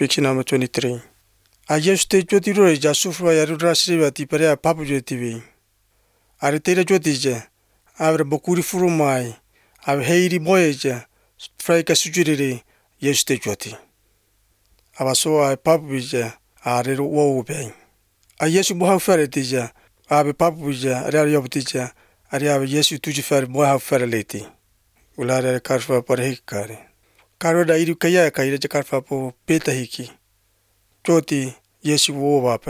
Picture number 23. I used to Jotiro Jasufra Yarudasri Parea Papu TV. I retained Jotija. I have a Bokuri Furumai. I have Heidi Boyaja. Fraka Sujiri. Yes, the Joti. I was so I Papuja. I read woe bay. I yes, you have ferretija. I have a Papuja, a rare teacher. I have yes, you to fair boy have ferrelati. Ulara Carfa per Hikari. Karoda Irukaya Kaija Carfa po Peta Hiki. Joti, yes, you wove up.